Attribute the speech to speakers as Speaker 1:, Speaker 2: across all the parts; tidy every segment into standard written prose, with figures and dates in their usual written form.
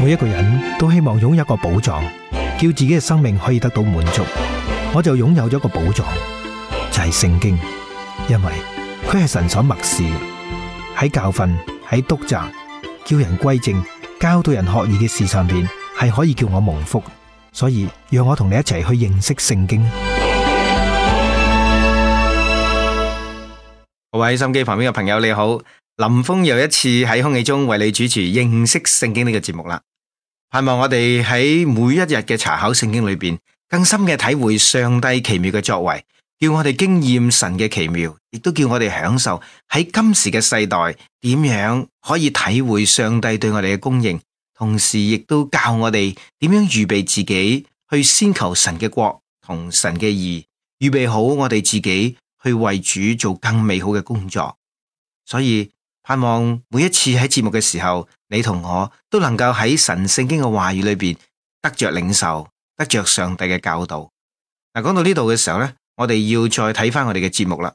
Speaker 1: 每一個人都希望擁有一個寶藏，叫自己嘅生命可以得到滿足。我就擁有咗個寶藏，就係聖經，因為佢係神所默示嘅，喺教訓、喺督責、叫人歸正、教導人學義嘅事上邊，係可以叫我蒙福。所以讓我同你一齊去認識聖經。
Speaker 2: 各位心機旁邊嘅朋友你好，林峰又一次喺空氣中為你主持認識聖經呢個節目啦。盼望我哋喺每一日嘅查考聖經裏邊，更深嘅體會上帝奇妙嘅作為，叫我哋經驗神嘅奇妙，亦都叫我哋享受喺今時嘅世代點樣可以體會上帝對我哋嘅供應，同時亦都教我哋點樣預備自己去先求神嘅國同神嘅義，預備好我哋自己去為主做更美好嘅工作。所以盼望每一次喺節目嘅時候，你同我都能夠喺神聖經嘅話語裏邊得着領受，得着上帝嘅教導。嗱，講到呢度嘅時候呢，我哋要再睇翻我哋嘅節目啦。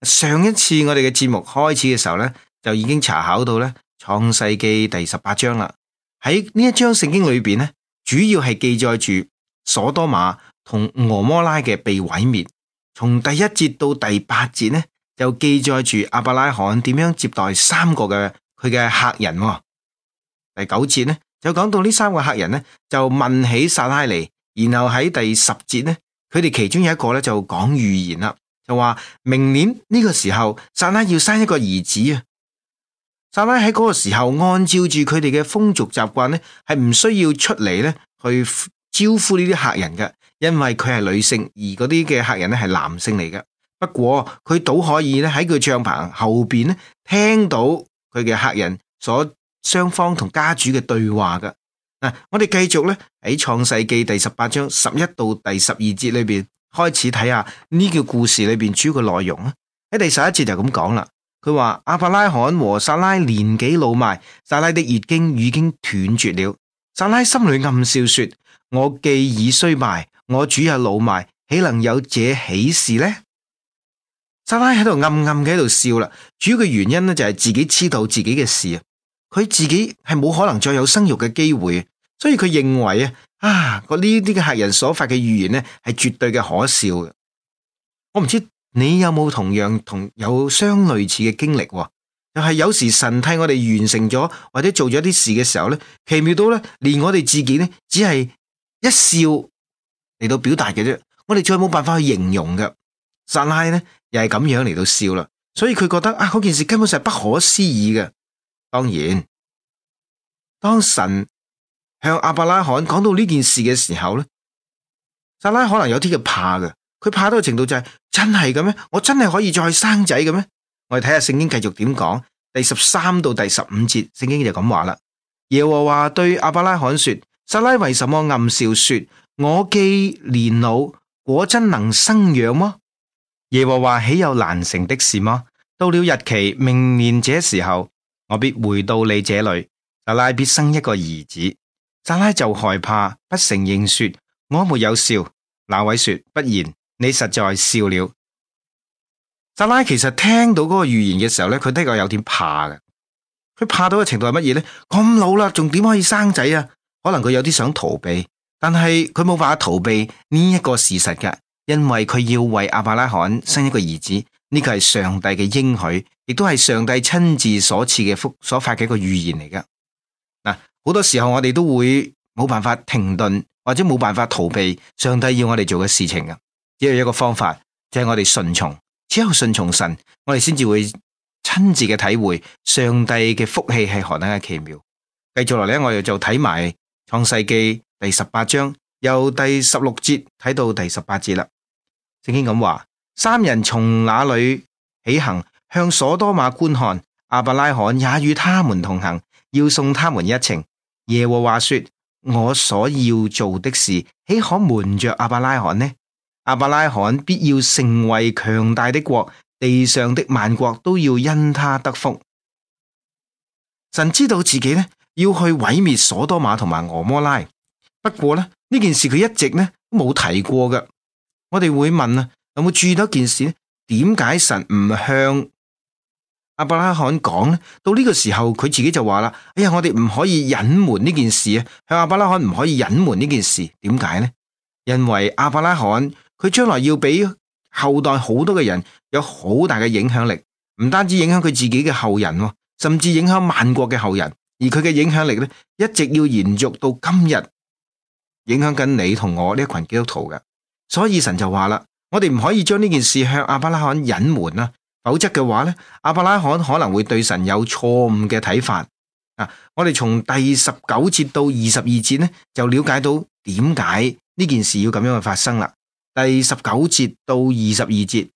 Speaker 2: 上一次我哋嘅節目開始嘅時候呢，就已經查考到呢創世記第18章啦。喺呢一章聖經裏邊呢，主要係記載住所多瑪同蛾摩拉嘅被毀滅。從第1節到第8節呢，就記載住亞伯拉罕點樣接待3個嘅佢嘅客人。第9節呢，就講到呢3個客人呢，就問起撒拉尼，然後喺第10節呢，佢哋其中有一個呢，就講預言啦，就話明年呢個時候撒拉要生一個兒子啊。撒拉喺嗰個時候按照住佢哋嘅風俗習慣呢，係唔需要出嚟呢去招呼呢啲客人嘅，因為佢係女性，而嗰啲嘅客人呢係男性嚟嘅。不過佢倒可以咧喺佢帳篷後邊咧聽到佢嘅客人所雙方同家主嘅對話噶。嗱，我哋繼續咧喺創世記第18章11到第12節裏邊開始睇下呢個故事裏邊主要嘅內容啊。喺第11節就咁講啦，佢話亞伯拉罕和撒拉年紀老邁，撒拉的月經已經斷絕了。撒拉心裏暗笑說：我既已衰敗，我主也老邁，豈能有這喜事呢？撒拉喺度暗暗嘅喺度笑啦，主要嘅原因呢，就係自己知道自己嘅事啊，佢自己係冇可能再有生育嘅機會，所以佢認為呢啲嘅客人所發嘅預言呢係絕對嘅可笑嘅。我唔知你有冇同樣有相類似嘅經歷，就係有時神替我哋完成咗或者做咗啲事嘅時候呢，奇妙到呢，連我哋自己呢，只係一笑嚟到表達嘅啫，我哋再冇辦法去形容嘅。撒拉呢又係咁樣嚟到笑啦，所以佢覺得嗰件事根本上係不可思議嘅。當然，當神向亞伯拉罕講到呢件事嘅時候呢，撒拉可能有啲嘅怕嘅，佢怕到嘅程度就係真係嘅咩？我真係可以再生仔嘅咩？我哋睇下聖經繼續點講，第13到第15節，聖經就咁話啦。耶和華對亞伯拉罕說：撒拉為什麼暗笑說：我既年老，果真能生養麼？耶和華豈有難成的事麼？到了日期，明年這時候，我必回到你這裏，撒拉必生一個兒子。撒拉就害怕，不承認說：我沒有笑。那位說：不然，你實在笑了。撒拉其實聽到嗰個預言嘅時候呢，佢的確有點怕嘅。佢怕到嘅程度係乜嘢呢？咁老啦，仲點可以生仔啊？可能佢有啲想逃避，但係佢冇辦法逃避呢一個事實嘅。因為佢要為亞伯拉罕生一個兒子，呢個係上帝嘅應許，亦都係上帝親自所賜嘅福所發嘅一個預言嚟噶。嗱，好多時候我哋都會冇辦法停頓，或者冇辦法逃避上帝要我哋做嘅事情噶。只有一個方法，就係我哋順從，只有順從神，我哋先至會親自嘅體會上帝嘅福氣係何等嘅奇妙。繼續落嚟，我哋就睇埋創世記第18章，由第16節睇到第18節啦。聖經咁話：3人從那裏起行，向所多瑪觀看，亞伯拉罕也與他們同行，要送他們一程。耶和華說：我所要做的事，豈可瞞着亞伯拉罕呢？亞伯拉罕必要成為強大的國，地上的萬國都要因他得福。神知道自己呢要去毀滅所多瑪同埋蛾摩拉，不過呢件事佢一直呢都冇提過嘅。我哋會問有冇注意到一件事呢？點解神唔向亞伯拉罕講咧，到呢個時候佢自己就話啦：哎呀，我哋唔可以隱瞞呢件事啊！向亞伯拉罕唔可以隱瞞呢件事，點解呢？因為亞伯拉罕佢將來要俾後代好多嘅人有好大嘅影響力，唔單止影響佢自己嘅後人，甚至影響萬國嘅後人。而佢嘅影響力咧，一直要延續到今日，影響緊你同我呢一群基督徒嘅。所以神就話啦，我哋唔可以將呢件事向亞伯拉罕隱瞞啦，否則嘅話咧，亞伯拉罕可能會對神有錯誤嘅睇法。我哋從第19節到22節咧，就了解到點解呢件事要咁樣去發生啦。第19節到22節，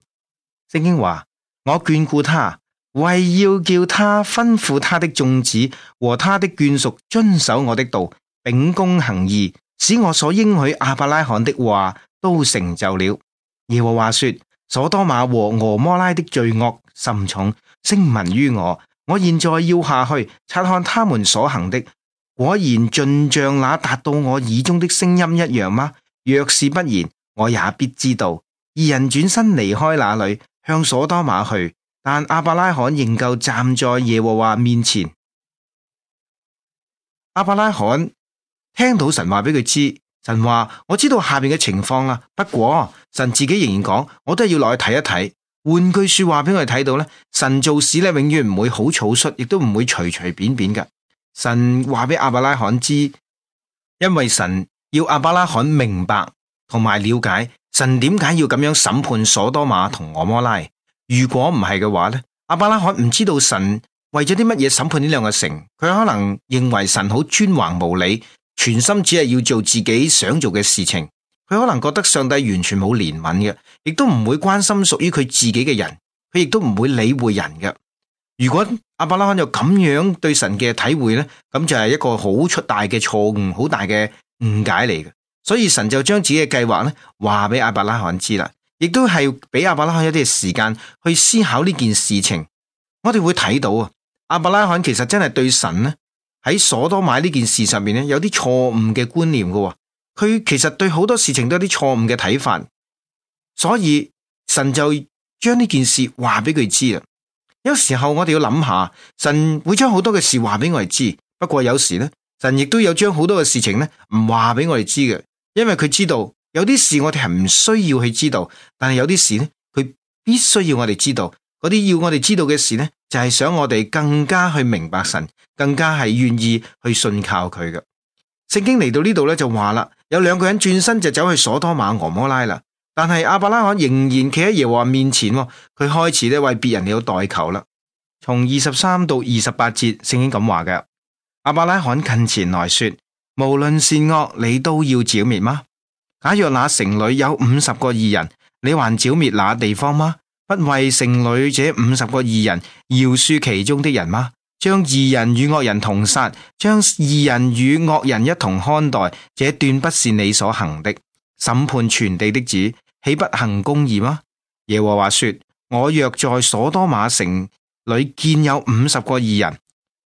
Speaker 2: 聖經話：我眷顧他，為要叫他吩咐他的眾子和他的眷屬遵守我的道，秉公行義，使我所應許亞伯拉罕的話都成就了。耶和華說：所多瑪和蛾摩拉的罪惡甚重，聲聞於我。我現在要下去察看他們所行的，果然盡像那達到我耳中的聲音一樣嗎？若是不然，我也必知道。二人轉身離開那裏，向所多瑪去，但亞伯拉罕仍舊站在耶和華面前。亞伯拉罕聽到神話俾佢知，神話我知道下面嘅情況啦，不過神自己仍然講，我都係要落去睇一睇。換句說話俾我哋睇到咧，神做事咧永遠唔會好草率，亦都唔會隨隨便便嘅。神話俾亞伯拉罕知，因為神要亞伯拉罕明白同埋了解神點解要咁樣審判所多瑪同蛾摩拉。如果唔係嘅話咧，亞伯拉罕唔知道神為咗啲乜嘢審判呢兩個城，佢可能認為神好專橫無理，全心只係要做自己想做嘅事情。佢可能覺得上帝完全冇憐憫嘅，亦都唔會關心屬於佢自己嘅人，佢亦都唔會理會人嘅。如果亞伯拉罕有咁樣對神嘅體會呢，咁就係一個好出大嘅錯誤，好大嘅誤解嚟嘅。所以神就將自己嘅計劃呢話俾亞伯拉罕知啦，亦都係俾亞伯拉罕一啲時間去思考呢件事情。我哋會睇到啊，亞伯拉罕其實真係對神呢喺所多瑪呢件事上面呢有啲錯誤嘅觀念嘅。佢其實對好多事情都有啲錯誤嘅睇法，所以神就將呢件事話俾佢知啦。有時候我哋要諗下，神會將好多嘅事話俾我哋知，不過有時呢，神亦都有將好多嘅事情呢唔話俾我哋知嘅，因為佢知道有啲事我哋係唔需要去知道，但係有啲事呢，佢必須要我哋知道。嗰啲要我哋知道嘅事呢，就係想我哋更加去明白神，更加係願意去信靠佢嘅。聖經嚟到呢度咧就話啦，有兩個人轉身就走去所多瑪蛾摩拉啦，但係亞伯拉罕仍然企喺耶和華面前，佢開始咧為別人嚟到代求啦。從23到28節，聖經咁話嘅：亞伯拉罕近前來說，無論善惡，你都要剿滅嗎？假若那城裏有50個義人，你還剿滅那地方嗎？不為城裏這50個義人饒恕其中的人嗎？將義人與惡人同殺，將義人與惡人一同看待，這斷不是你所行的。審判全地的主，豈不行公義嗎？耶和華說：我若在所多瑪城裏見有50個義人，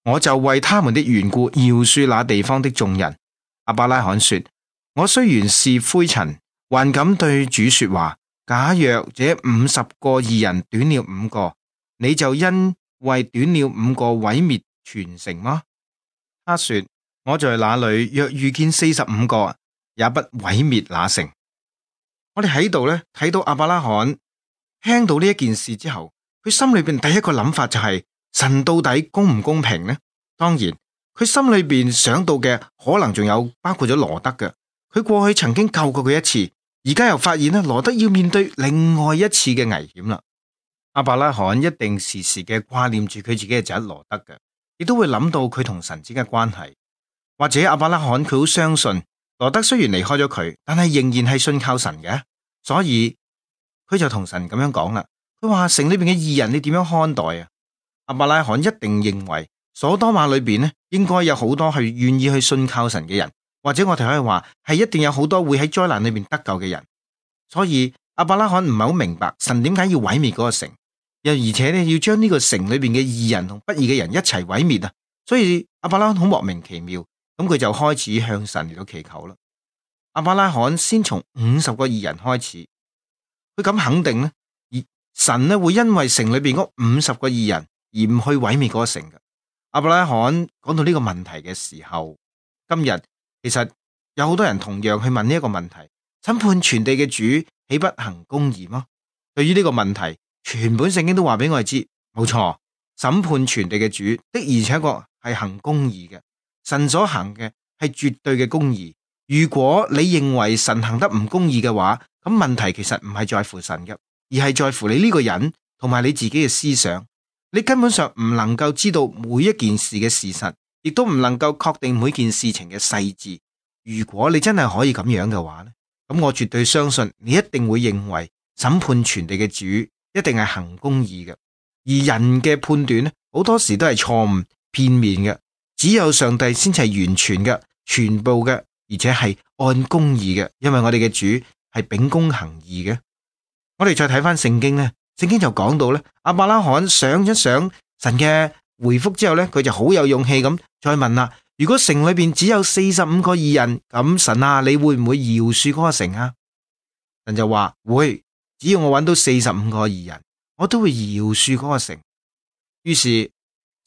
Speaker 2: 我就為他們的緣故饒恕那地方的眾人。亞伯拉罕說：我雖然是灰塵，還敢對主說話。假若這50個義人短了5個，你就因為短了5個毀滅全城嗎？他說：我在那裏若遇見45個，也不毀滅那城。我哋喺度咧睇到亞伯拉罕聽到呢一件事之後，佢心裏邊第一個諗法就係神到底公唔公平呢？當然，佢心裏邊想到嘅可能仲有包括咗羅德嘅，佢過去曾經救過佢一次，而家又發現咧羅德要面對另外一次嘅危險啦。亞伯拉罕一定時時嘅掛念住佢自己嘅仔羅德嘅，亦都會諗到佢同神之間嘅關係。或者亞伯拉罕佢好相信羅德雖然離開咗佢，但係仍然係信靠神嘅，所以佢就同神咁樣講啦。佢話城裏邊嘅義人你點樣看待啊？亞伯拉罕一定認為所多瑪裏邊咧應該有好多係願意去信靠神嘅人，或者我哋可以話係一定有好多會喺災難裏邊得救嘅人。所以亞伯拉罕唔係好明白神點解要毀滅嗰個城，又而且咧要將呢個城裏邊嘅義人同不義嘅人一齊毀滅啊！所以亞伯拉罕好莫名其妙，咁佢就開始向神嚟到祈求啦。亞伯拉罕先從50個義人開始，佢咁肯定咧，而神咧會因為城裏邊嗰50個義人而唔去毀滅嗰個城嘅。亞伯拉罕講到呢個問題嘅時候，今日其實有好多人同樣去問呢一個問題：審判全地嘅主豈不行公義嗎？對於呢個問題，全本聖經都話俾我哋知，冇錯，審判全地嘅主的而且確係行公義嘅。神所行嘅係絕對嘅公義。如果你認為神行得唔公義嘅話，咁問題其實唔係在乎神嘅，而係在乎你呢個人同埋你自己嘅思想。你根本上唔能夠知道每一件事嘅事實，亦都唔能夠確定每件事情嘅細節。如果你真係可以咁樣嘅話呢，咁我絕對相信你一定會認為審判全地嘅主一定係行公義嘅。而人嘅判斷呢，好多時都係錯誤片面嘅，只有上帝先係完全嘅、全部嘅，而且係按公義嘅，因為我哋嘅主係秉公行義嘅。我哋再睇翻聖經呢，聖經就講到咧，亞伯拉罕想一想神嘅回覆之後咧，佢就好有勇氣咁再問啦：如果城裏邊只有45個義人，咁神啊，你會唔會饒恕嗰個城啊？神就話會，只要我揾到45個義人，我都會饒恕嗰個城。於是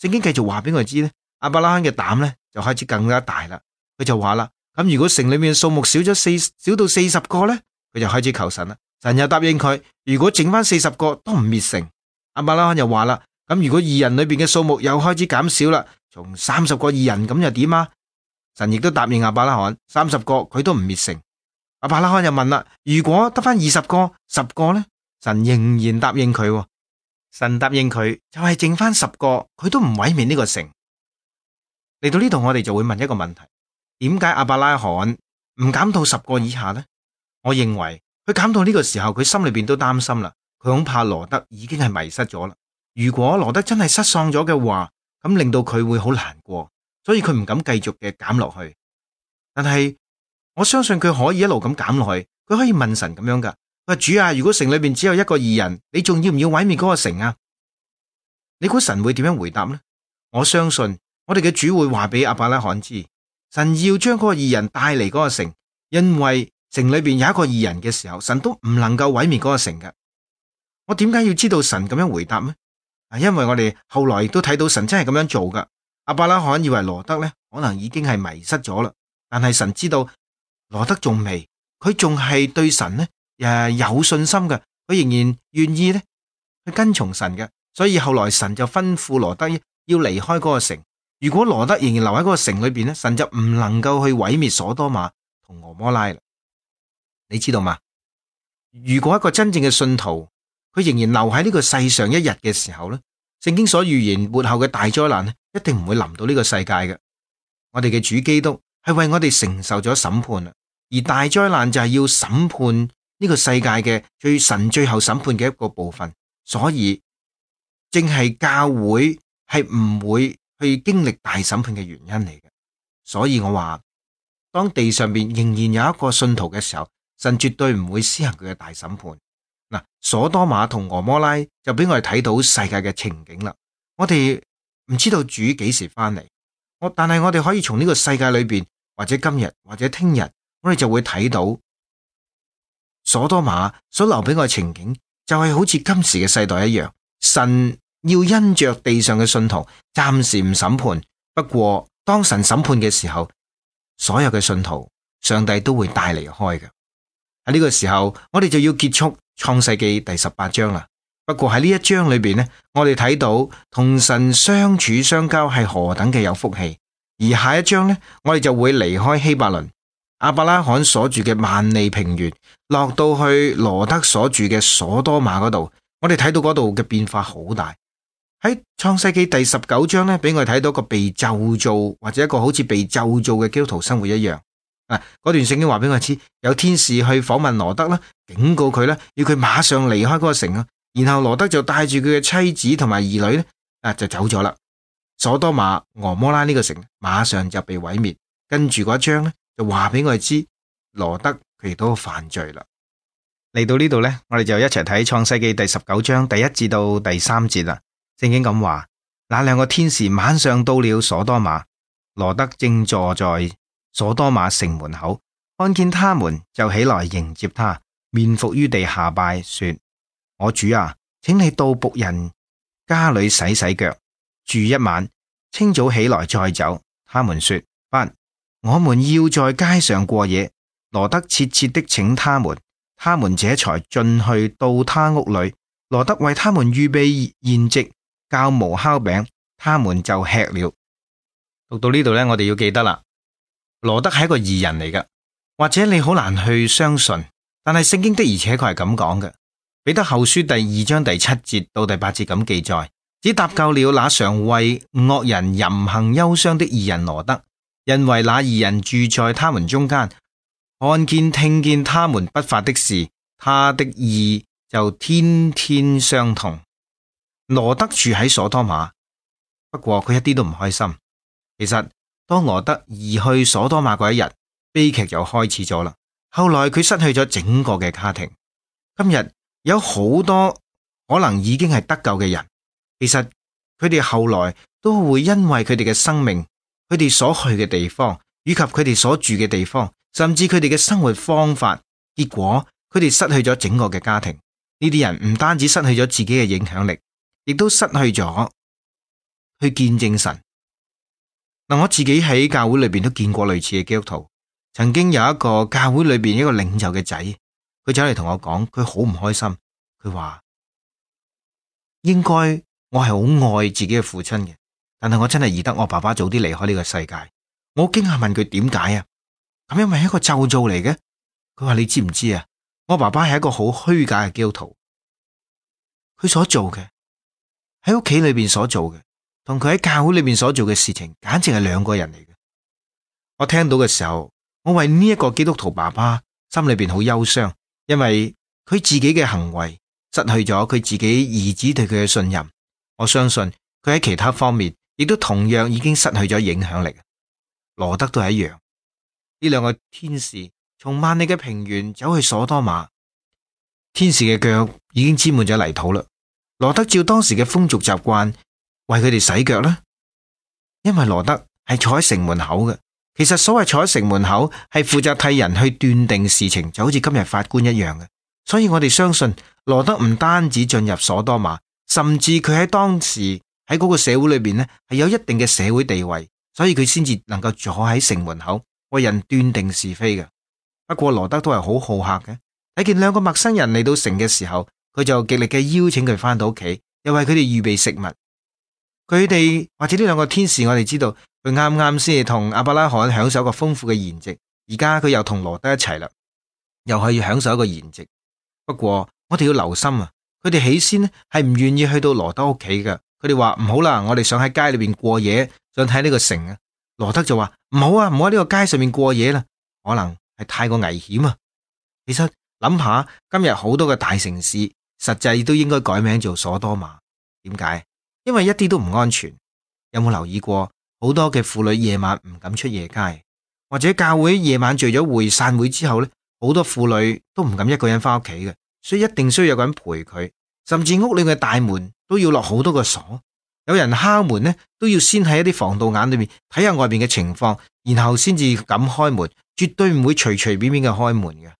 Speaker 2: 聖經繼續話俾我哋知咧，亞伯拉罕嘅膽咧就開始更加大啦。佢就話啦：咁如果城裏面數目少到40個咧，佢就開始求神啦。神又答應佢，如果剩翻40個都唔滅城。亞伯拉罕又話啦：咁如果義人裏邊嘅數目又開始減少啦，從30個義人咁又點啊？神亦都答應亞伯拉罕30個佢都唔滅城。亞伯拉罕又問啦：如果得翻20個、10個咧？神仍然答應佢。神答應佢就係剩翻10個，佢都唔毀滅呢個城。嚟到呢度我哋就會問一個問題：點解亞伯拉罕唔減到10個以下呢？我認為佢減到呢個時候，佢心裏邊都擔心啦，佢恐怕羅德已經係迷失咗啦。如果羅德真係失喪咗嘅話，咁令到佢會好難過，所以佢唔敢繼續嘅減落去。但係我相信佢可以一路咁減落去，佢可以問神咁樣噶：佢話主啊，如果城裏邊只有1個義人，你仲要唔要毀滅嗰個城啊？你估神會點樣回答呢？我相信我哋嘅主會話俾亞伯拉罕知，神要將嗰個義人帶嚟嗰個城，因為城裏邊有一個義人嘅時候，神都唔能夠毀滅嗰個城嘅。我點解要知道神咁樣回答呢？因為我哋後來亦都睇到神真係咁樣做噶。亞伯拉罕以為羅德咧可能已經係迷失咗啦，但係神知道羅德仲未，佢仲係對神咧有信心嘅，佢仍然願意咧去跟從神嘅。所以後來神就吩咐羅德要離開嗰個城。如果羅德仍然留喺嗰個城裏邊咧，神就唔能夠去毀滅所多瑪同蛾摩拉啦。你知道嗎？如果一個真正嘅信徒，佢仍然留喺呢個世上一日嘅時候咧，聖經所預言末後嘅大災難咧，一定唔會臨到呢個世界嘅。我哋嘅主基督係為我哋承受咗審判啦，而大災難就係要審判呢個世界嘅神最後審判嘅一個部分，所以正係教會係唔會去經歷大審判嘅原因嚟嘅。所以我話，當地上邊仍然有一個信徒嘅時候，神絕對唔會施行佢嘅大審判。嗱，所多瑪同蛾摩拉就俾我哋睇到世界嘅情景啦。我哋唔知道主幾時翻嚟，但係我哋可以從呢個世界裏邊，或者今日或者聽日，我哋就會睇到所多瑪所留俾我嘅情景，就係好似今時嘅世代一樣。神要因着地上嘅信徒暫時唔審判，不過當神審判嘅時候，所有嘅信徒上帝都會帶離開嘅。喺呢個時候，我哋就要結束創世記第18章啦。不過喺呢一章裏邊呢，我哋睇到同神相處相交係何等嘅有福氣。而下一章呢，我哋就會離開希伯倫，亞伯拉罕所住嘅萬利平原，落到去羅德所住嘅所多瑪嗰度。我哋睇到嗰度嘅變化好大。喺創世記第19章呢，俾我哋睇到一個被咒詛，或者一個好似被咒詛嘅基督徒生活一樣。嗰段聖經話俾我知，有天使去訪問羅德啦，警告佢啦，要佢馬上離開嗰個城啊。然後羅德就帶住佢嘅妻子同埋兒女咧，就走咗啦。所多瑪、蛾摩拉呢個城馬上就被毀滅。跟住嗰一章咧，就話俾我哋知，羅德佢亦都犯罪啦。嚟到呢度咧，我哋就一齊睇創世記第19章第1至到第3節啦。聖經咁話：那兩個天使晚上到了所多瑪，羅德正坐在所多瑪城門口，看見他們就起來迎接他，面伏於地下拜，說：我主啊，請你到僕人家裏洗洗腳，住一晚，清早起來再走。他們說：不，我們要在街上過夜。羅德切切的請他們，他們這才進去到他屋裏。羅德為他們預備筵席，教無酵餅，他們就吃了。讀到呢度呢，我哋要記得啦，羅德係一個義人嚟嘅，或者你好難去相信，但係聖經的而且確係咁講嘅。彼得後書第2章第7節到第8節咁記載，只搭救了那常為惡人淫行憂傷的義人羅德，因為那義人住在他們中間，看見聽見他們不法的事，他的義就天天傷痛。羅德住喺所多瑪，不過佢一啲都唔開心。其實當羅德移去所多瑪嗰一日，悲劇就開始咗啦。後來佢失去咗整個嘅家庭。今日有好多可能已經係得救嘅人，其實佢哋後來都會因為佢哋嘅生命，佢哋所去嘅地方，以及佢哋所住嘅地方，甚至佢哋嘅生活方法，結果佢哋失去咗整個嘅家庭。呢啲人唔單止失去咗自己嘅影響力，亦都失去咗去見證神。嗱，我自己喺教會裏邊都見過類似嘅基督徒。曾經有一個教會裏邊一個領袖嘅仔，佢走嚟同我講，佢好唔開心。佢話應該我係好愛自己嘅父親嘅，但係我真係宜得我爸爸早啲離開呢個世界。我好驚訝問佢點解啊？咁因為係一個咒詛嚟嘅。佢話你知唔知啊？我爸爸係一個好虛假嘅基督徒，佢所做嘅喺屋企裏邊所做嘅，同佢喺教會裏邊所做嘅事情，簡直係兩個人嚟嘅。我聽到嘅時候，我為呢一個基督徒爸爸心裏邊好憂傷，因為佢自己嘅行為失去咗佢自己兒子對佢嘅信任。我相信佢喺其他方面亦都同樣已經失去咗影響力。羅德都係一樣。呢兩個天使從萬里嘅平原走去所多瑪，天使嘅腳已經沾滿咗泥土啦。羅德照當時嘅風俗習慣為佢哋洗腳啦，因為羅德係坐喺城門口嘅。其實所謂坐喺城門口係負責替人去斷定事情，就好似今日法官一樣嘅。所以我哋相信羅德唔單止進入所多瑪，甚至佢喺當時喺嗰個社會裏邊呢係有一定嘅社會地位，所以佢先至能夠坐喺城門口為人斷定是非嘅。不過羅德都係好好客嘅，睇見兩個陌生人嚟到城嘅時候，佢就極力嘅邀請佢翻到屋企，又為佢哋預備食物。佢哋或者呢兩個天使，我哋知道佢啱啱先係同亞伯拉罕享受一個豐富嘅筵席，而家佢又同羅德一齊啦，又可以享受一個筵席。不過我哋要留心啊，佢哋起先呢係唔願意去到羅德屋企嘅，佢哋話唔好啦，我哋想喺街裏邊過夜，想睇呢個城啊。羅德就話唔好啊，唔好喺呢個街上面過夜啦，可能係太過危險啊。其實諗下今日好多嘅大城市，實際都應該改名做所多瑪。點解？因為一啲都唔安全。有冇留意過好多嘅婦女夜晚唔敢出夜街，或者教會夜晚聚咗會散會之後呢，好多婦女都唔敢一個人翻屋企嘅，所以一定需要有個人陪佢，甚至屋裏嘅大門都要落好多個鎖。有人敲門呢，都要先喺一啲防盜眼裏面睇下外邊嘅情況，然後先至敢開門，絕對唔會隨隨便便嘅開門嘅。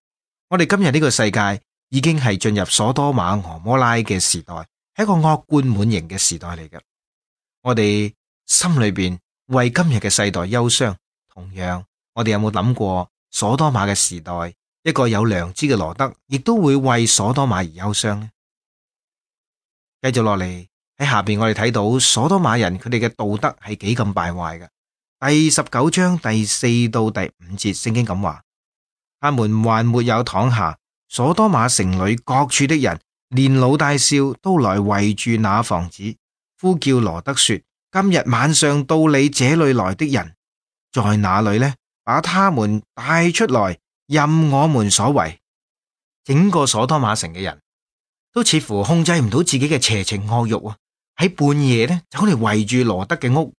Speaker 2: 我哋今日呢個世界已經係進入所多瑪俄摩拉嘅時代，係一個惡貫滿盈嘅時代嚟嘅。我哋心裏邊為今日嘅世代憂傷，同樣我哋有冇諗過所多瑪嘅時代，一個有良知嘅羅德亦都會為所多瑪而憂傷呢？繼續落嚟喺下邊，我哋睇到所多瑪人佢哋嘅道德係幾咁敗壞嘅。第19章第4到第5節，聖經咁話：他們還沒有躺下，所多瑪城裏各處的人，連老帶少都來圍住那房子，呼叫羅德說：今日晚上到你這裏來的人在哪裏呢？把他們帶出來，任我們所為。整個所多瑪城嘅人都似乎控制唔到自己嘅邪情惡慾啊！喺半夜呢，走嚟圍住羅德嘅屋，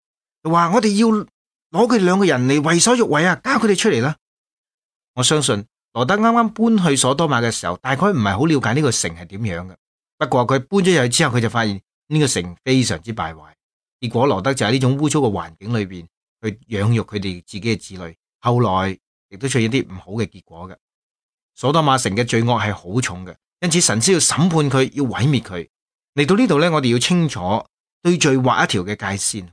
Speaker 2: 就話我哋要攞佢哋兩個人嚟為所欲為啊！交佢哋出嚟啦！我相信羅德啱啱搬去所多瑪嘅時候，大概唔係好了解呢個城係點樣嘅。不過佢搬咗入去之後，佢就發現呢個城非常之敗壞。結果羅德就喺呢種污糟嘅環境裏邊去養育佢哋自己嘅子女，後來亦都出現一啲唔好嘅結果嘅。所多瑪城嘅罪惡係好重嘅，因此神先要審判佢，要毀滅佢。嚟到呢度咧，我哋要清楚對罪劃一條嘅界線。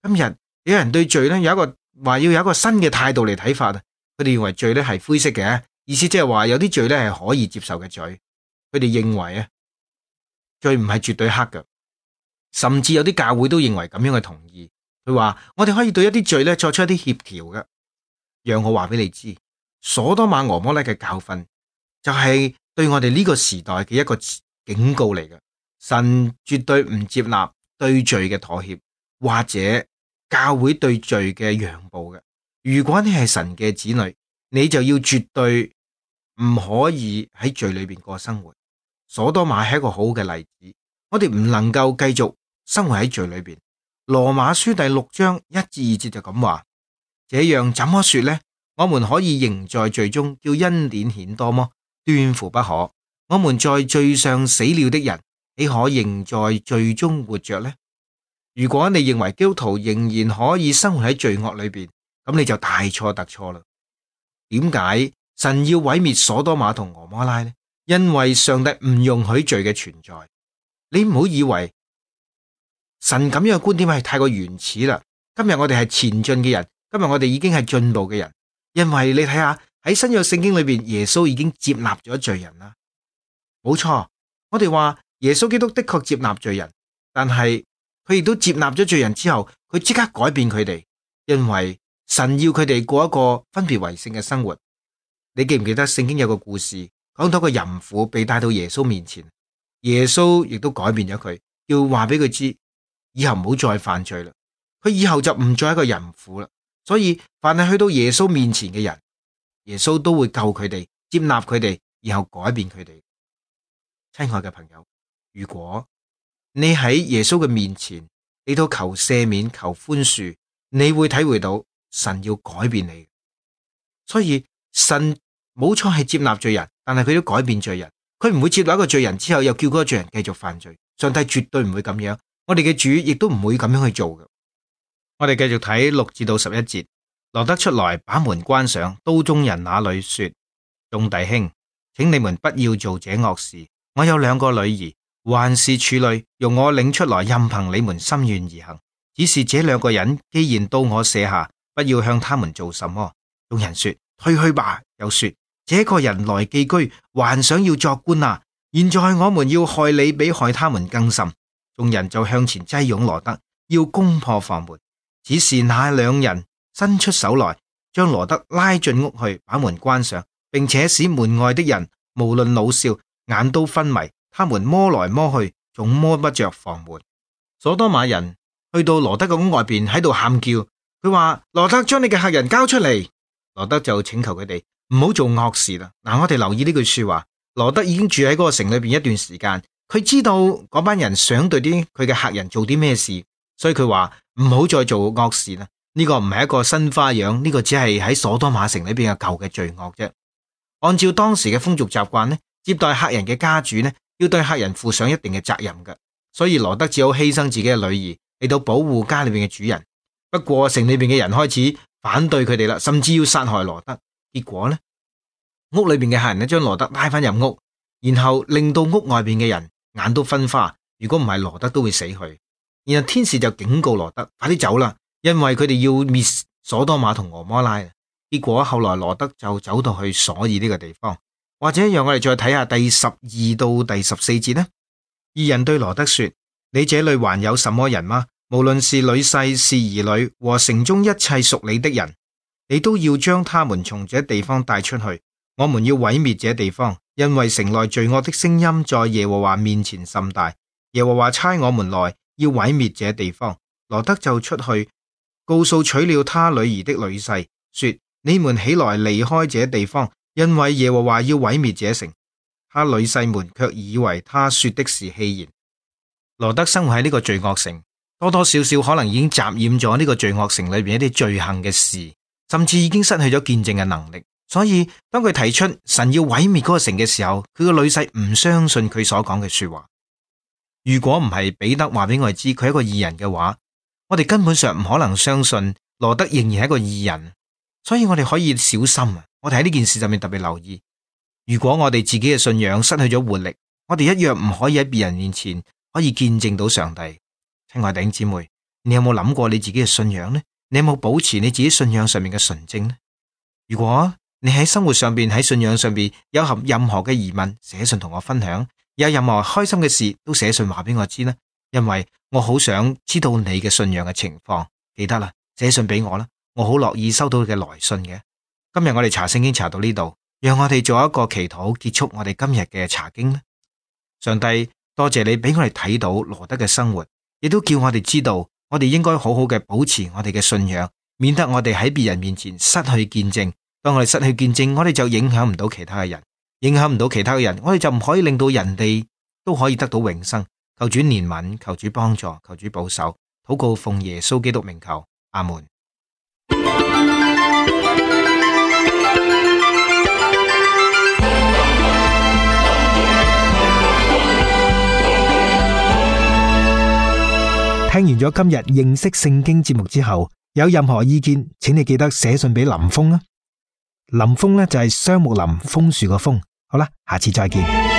Speaker 2: 今日有人對罪咧有一個話要有一個新嘅態度嚟睇法啊，佢哋認為罪咧係灰色嘅，意思即係話有啲罪咧係可以接受嘅罪。佢哋認為啊，罪唔係絕對黑嘅，甚至有啲教會都認為咁樣嘅同意。佢話我哋可以對一啲罪咧作出一啲協調嘅。讓我話俾你知，所多瑪俄摩拉嘅教訓就係對我哋呢個時代嘅一個警告嚟嘅。神絕對唔接納對罪嘅妥協，或者教會對罪嘅讓步嘅。如果你係神嘅子女，你就要絕對唔可以喺罪裏邊過生活。所多瑪係一個好嘅例子，我哋唔能夠繼續生活喺罪裏邊。羅馬書第6章1至2節就咁話：這樣怎麼說呢？我們可以仍在罪中，叫恩典顯多麼？斷乎不可。我們在罪上死了的人，豈可仍在罪中活着呢？如果你認為基督徒仍然可以生活喺罪惡裏邊，咁你就大錯特錯啦。點解神要毀滅所多瑪同蛾摩拉呢？因為上帝唔容許罪嘅存在。你唔好以為神咁樣嘅觀點係太過原始啦。今日我哋係前進嘅人，今日我哋已經係進步嘅人，因為你睇下喺新約聖經裏邊，耶穌已經接納咗罪人啦。冇錯，我哋話耶穌基督的確接納罪人，但係佢亦都接納咗罪人之後，佢即刻改變佢哋，因為神要佢哋過一個分別為聖嘅生活。你記唔記得聖經有個故事，講到個淫婦被帶到耶穌面前，耶穌亦都改變咗佢，要話俾佢知以後唔好再犯罪啦。佢以後就唔再係一個淫婦啦。所以凡係去到耶穌面前嘅人，耶穌都會救佢哋，接納佢哋，然後改變佢哋。親愛嘅朋友，如果你喺耶穌嘅面前，你都求赦免、求寬恕，你會體會到神要改變你。所以神冇錯係接納罪人，但係佢都改變罪人。佢唔會接納一個罪人之後又叫嗰個罪人繼續犯罪。上帝絕對唔會咁樣，我哋嘅主亦都唔會咁樣去做嘅。我哋繼續睇6至到11節。羅德出來把門關上，到眾人那裏說：眾弟兄，請你們不要做這惡事。我有2個女兒，還是處女，容我領出來，任憑你們心願而行。只是這2個人既然到我舍下，不要向他們做什麼。眾人說：退去吧。又說：這個人來寄居，還想要作官啊！現在我們要害你，比害他們更甚。眾人就向前擠擁羅德，要攻破房門。只是那2人伸出手來，將羅德拉進屋去，把門關上，並且使門外的人無論老少眼都昏迷。他們摸來摸去，總摸不着房門。所多瑪人去到羅德嘅屋外邊喺度喊叫，佢話：羅德，將你嘅客人交出嚟。羅德就請求佢哋唔好做惡事啦。我哋留意呢句說話，羅德已經住喺嗰個城裏邊一段時間，佢知道嗰班人想對佢嘅客人做啲咩事，所以佢話唔好再做惡事啦。呢個唔係一個新花樣，呢個只係喺所多瑪城裏邊嘅舊嘅罪惡啫。按照當時嘅風俗習慣呢，接待客人嘅家主呢，要對客人負上一定嘅責任嘅，所以羅德只好犧牲自己嘅女兒嚟到保護家裏邊嘅主人。不過城裏邊嘅人開始反對佢哋啦，甚至要殺害羅德。結果呢，屋裏邊嘅客人呢，將羅德拉翻入屋，然後令到屋外邊嘅人眼都昏花。如果唔係，羅德都會死去。然後天使就警告羅德快啲走啦，因為佢哋要滅所多瑪同蛾摩拉。結果後來羅德就走到去所爾呢個地方。或者讓我哋再睇下第12到第14節呢。二人對羅德說：你這裏還有什麼人嗎？無論是女婿是兒女和城中一切屬你的人，你都要將他們從這地方帶出去。我們要毀滅這地方，因為城內罪惡的聲音在耶和華面前甚大。耶和華差我們來要毀滅這地方。羅德就出去告訴娶了他女兒的女婿，說：你們起來離開這地方，因為耶和華要毀滅這城。他女婿們卻以為他說的是戲言。羅德生活喺呢個罪惡城，多多少少可能已經沾染咗呢個罪惡城裏邊一啲罪行嘅事，甚至已經失去咗見證嘅能力。所以當佢提出神要毀滅嗰個城嘅時候，佢個女婿唔相信佢所講嘅說話。如果唔係彼得話俾我哋知佢係一個義人嘅話，我哋根本上唔可能相信羅德仍然係一個義人。所以我哋可以小心啊！我哋喺呢件事上面特別留意，如果我哋自己嘅信仰失去咗活力，我哋一樣唔可以喺別人面前可以見證到上帝。親愛弟兄姊妹，你有冇諗過你自己嘅信仰呢？你有冇保持你自己信仰上面嘅純正呢？如果你喺生活上邊、喺信仰上邊有任何嘅疑問，寫信同我分享；有任何開心嘅事，都寫信話俾我知啦。因為我好想知道你嘅信仰嘅情況。記得啦，寫信俾我啦，我好樂意收到你嘅來信嘅。今日我哋查聖經查到呢度，讓我哋做一個祈禱，結束我哋今日嘅查經啦。上帝，多謝你俾我哋睇到羅德嘅生活，亦都叫我哋知道，我哋應該好好嘅保持我哋嘅信仰，免得我哋喺別人面前失去見證。當我哋失去見證，我哋就影響唔到其他嘅人，影響唔到其他嘅人，我哋就唔可以令到人哋都可以得到永生。求主憐憫，求主幫助，求主保守。禱告奉耶穌基督名求，阿門。
Speaker 1: 聽完咗今日認識聖經節目之後，有任何意見，請你記得寫信俾林峰啊。林峰呢就係雙木林楓樹個楓。好啦，下次再見。